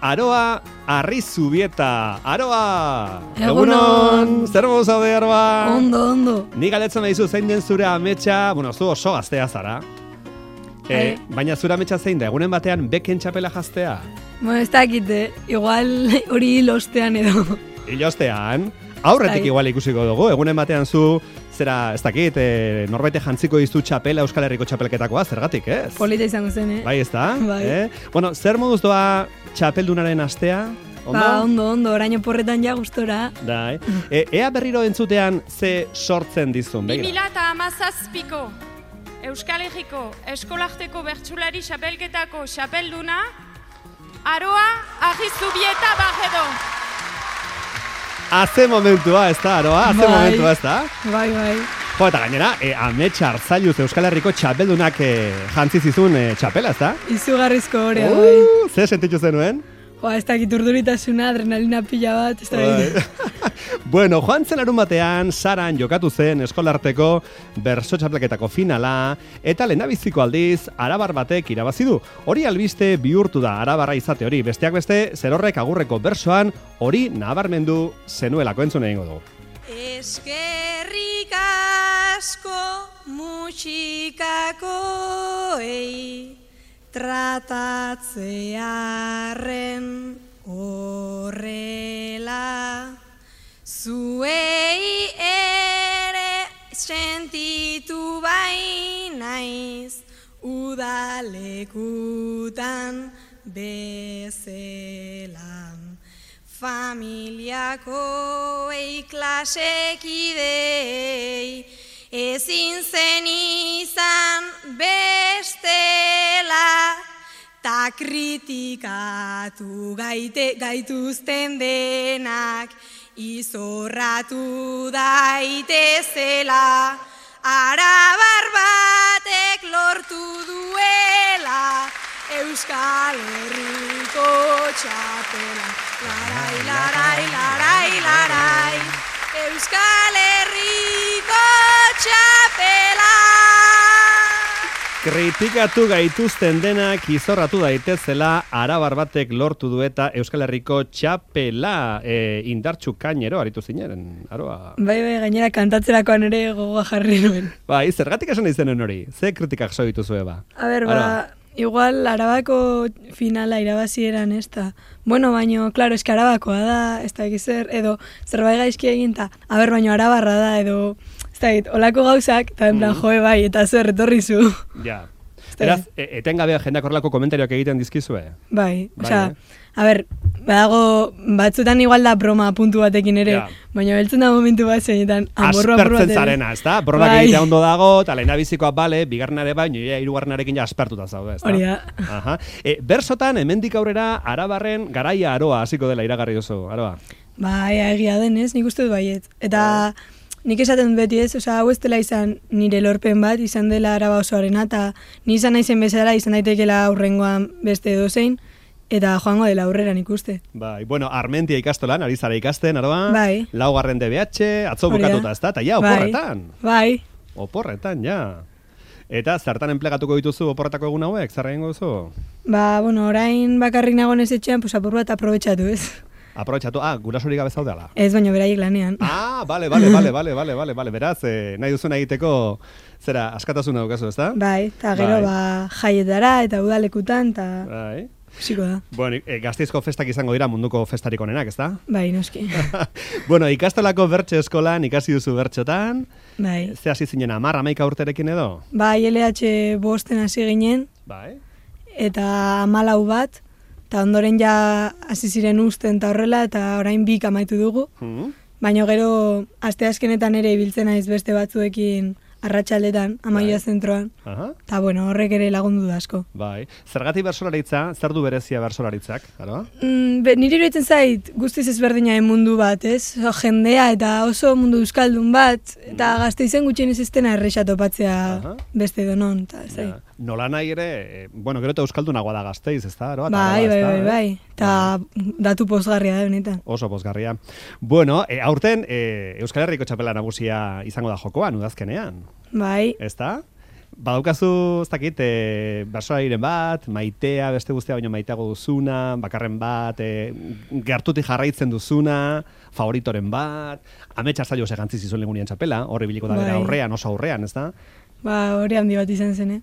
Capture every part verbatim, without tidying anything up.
Aroa Arrizubieta. Aroa! Egunon! Zer modu zaude, Aroa? Ondo, ondo. Ni galetzen nahizu zein den zure ametsa, bueno, zu oso gaztea zara. E, baina zure ametsa zein da, egunen batean beken txapela jaztea? Bueno, ez dakite, igual hori lostean edo. Ilostean, aurretik Bai. igual ikusiko dugu, egunen batean zu, zera, ez dakit, e, norbaite jantziko dizu txapela Euskal Herriko txapelketakoa, zergatik, ez? Polita izango zen, eh? Bai, ez da? Bai. Eh? Bueno, zer moduz doa txapeldunaren astea? Ondo? Ba, ondo, ondo, oraino porretan ja gustora. Dai. E, ea berriro entzutean ze sortzen dizun, bi begira. mila hamazazpiko Euskal Herriko Eskolarteko Bertsulari Xapelketako xapelduna Aroa Arrizubieta Barredo. Haze momentua, ez da, Aroa? Haze Bai. momentua, ez da? Bai, bai. Jo, eta gainera, e, ametsa Arzailuz Euskal Herriko txapeldunak e, jantzi zizun e, txapela, ez da? Izugarrizko horea, bai. Uh, ze sentitu zenuen? Jo, ez dakit urduritasuna, adrenalina pila bat, ez dakit. Bai. Bueno, joan zen larun batean, Saran jokatu zen eskolarteko berso txapelketako finala, eta lehendabiziko aldiz, arabar batek irabazi du. Hori albiste bihurtu da arabarra izate hori, besteak beste, zerorrek agurreko bersoan, hori nabarmendu zenuelako entzun egingo dugu. Eskerrik asko musikakoei tratatzearen horrela, zuei ere sentitu bai naiz udalekutan bezelan. Familiakoei klasekidei ezin zen izan bestela, ta kritikatu gaite, gaituzten denak izorratu daitezela, arabar batek lortu duela Euskal Herriko txapela. Larai, larai, larai, larai, Euskal Herriko txapela. Kritikatu gaituzten denak izorratu daitezela, arabar batek lortu dueta Euskal Herriko txapela. E, indartxu kainero aritu zinen, Aroa. Bai, bai, gainera kantatzerakoan ere gogoa jarri nuen. Bai, zergatik esan izenen hori? Ze kritikak so dituzue ba? A ber, ba, Aroa. igual Arabako finala irabazi eran ez da. Bueno, baino, claro, eski Arabakoa da, ez da egizer, edo zerbait gaizki egin, ta, a ber, baino Arabarra da, edo, ez da egit, olako gauzak, eta en plan, Mm. joe bai, eta zer, etorri zu. Ja. da Eraz, e, etengabea jendeak horrelako komentarioak egiten dizkizue? Bai, Bai, osea, eh? a ber, badago, batzutan igual da broma puntu batekin ere, Ja. baina beltzen da momentu bat zeinetan, amorru amorru Aspertzen bat ere. zarena, ez da? Borrak Bai. egitea ondo dago, eta lehendabizikoa bale, bigarrenare baino, ja, hirugarrenarekin ja aspertuta zaude, ez da? Hori da. Aha. E, bersotan, hemendik aurrera, Arabarren garaia Aroa hasiko dela iragarri duzu, Aroa. Bai, egia denez, nik uste dut baiet. Eta nik esaten dut beti ez, osea, hau ez dela izan nire lorpen bat, izan dela Araba osoarena, eta ni izan naizen bezala, izan daitekela aurrengoan beste edozein, eta joango dela aurrera nik uste. Bai, bueno, Armentia ikastolan, ari zara ikasten, Aroa. Bai. Laugarren D B H, atzo Hori da. bukatuta, ez da? Eta ja, Bai. oporretan. Bai, Oporretan, ja. Eta zertan enplegatuko dituzu oporretako egun hauek, zer egingo duzu? ba, bueno, orain bakarrik nagoen ez etxean, pues apur bat aprobetxatu ez. Aprobetxatu, ah, gurasorik gabe zaudela. Ez, baina beraiek lanean. Ah, bale, bale, bale, bale, bale, bale, bale, beraz, eh, nahi duzuna egiteko, zera, askatasuna daukazu, ez da? Bai, eta gero Bai. ba jaietara eta udalekutan, eta Bai. ikusiko da. Bueno, e, Gasteizko festak izango dira munduko festarik onenak, ez da? Bai, noski. Bueno, ikastolako bertso eskolan ikasi duzu bertxotan, Bai. ze hasi zinen hamar, hamaika urterekin edo? Bai, L H bosten hasi ginen, Bai. eta hamalau bat, eta ondoren ja hasi ziren usten eta horrela, eta orain bik amaitu dugu. Hmm? Baina gero, asteazkenetan ere ibiltzen naiz beste batzuekin arratsaldetan, amaia Bai. zentroan. Aha. Eta bueno, horrek ere lagundu da asko. Bai. Zergatik bersolaritza, zer du berezia bersolaritzak, aro? Mm, be, niri iruditzen zait guztiz ezberdinaren mundu bat, ez? Oso jendea eta oso mundu euskaldun bat, eta Gasteizen gutxienez ez dena erresa topatzea Aha. beste donon, eta ez Ja. Nola nahi ere, eh, bueno, gero eta euskaldunagoa da Gasteiz, ez da, aro? Eta Bai, Araba, bai, ez da, bai, eh? bai. Eta datu pozgarria da benetan. Oso pozgarria. Bueno, e, aurten e, Euskal Herriko txapela nagusia izango da jokoan, udazkenean, Bai, ez da? Badaukazu, ez dakit, e, bersolariren bat, maitea, beste guztia baino maiteago duzuna, bakarren bat, e, gertutik jarraitzen duzuna, favoritoren bat, ametsa zailo segantzi zizuen legunien txapela, horri biliko da bera Bai. aurrean, oso aurrean, ez da? Ba, hori handi bat izan zen, eh?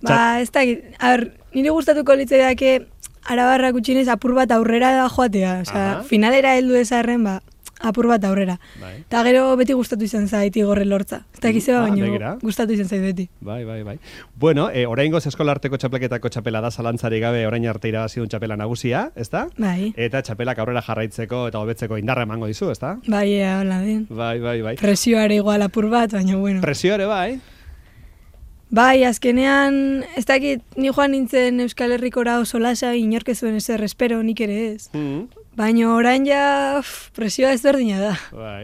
Ba, ez dakit, ar, nire gustatuko litzaiake Arabarra gutxinez apur bat aurrera da joatea, osea, Aha. finalera heldu ezarren, ba, apur bat aurrera. Bai. Eta gero beti gustatu izan zait igorre lortza. Ez dakiz Ah, baino begira. gustatu izan zait beti. Bai, bai, bai. Bueno, e, oraingoz eskolarteko txapelketako txapela da zalantzari gabe orain arte irabazi duen txapela nagusia, ezta? Bai. Eta txapelak aurrera jarraitzeko eta hobetzeko indarra emango dizu, ezta? Bai, ea, hola den. Bai, bai, bai. Presioare igual apur bat, baina bueno. Presio ere bai. Bai, azkenean, ez dakit, ni joan nintzen Euskal Herrikora oso lasa, inork ez zuen ezer espero, nik ere ez. Mm. Baina orain ja, uf, presioa ezberdina da. Bai.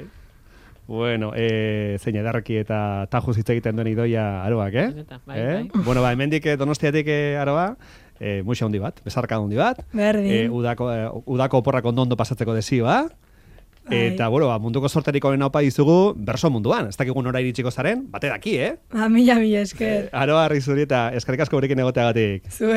Bueno, eh, zein edarreki eta tajuz hitz egiten duen idoia aroak, eh? Benetan, bai, eh? bai. Bueno, ba, hemendik eh, Donostiatik eh, aroa, eh, muxa handi bat, bezarka handi bat. Berdin. Eh, udako, eh, udako oporrak ondo ondo pasatzeko desioa. Bai. Eta, bueno, ba, munduko sorterik onena opa dizugu berso munduan. Ez dakigun ora iritsiko zaren, bate daki, eh? Ba, mila, mila esker. Aroa, Rizuri eta eskerrik asko gurekin egoteagatik. Zuei.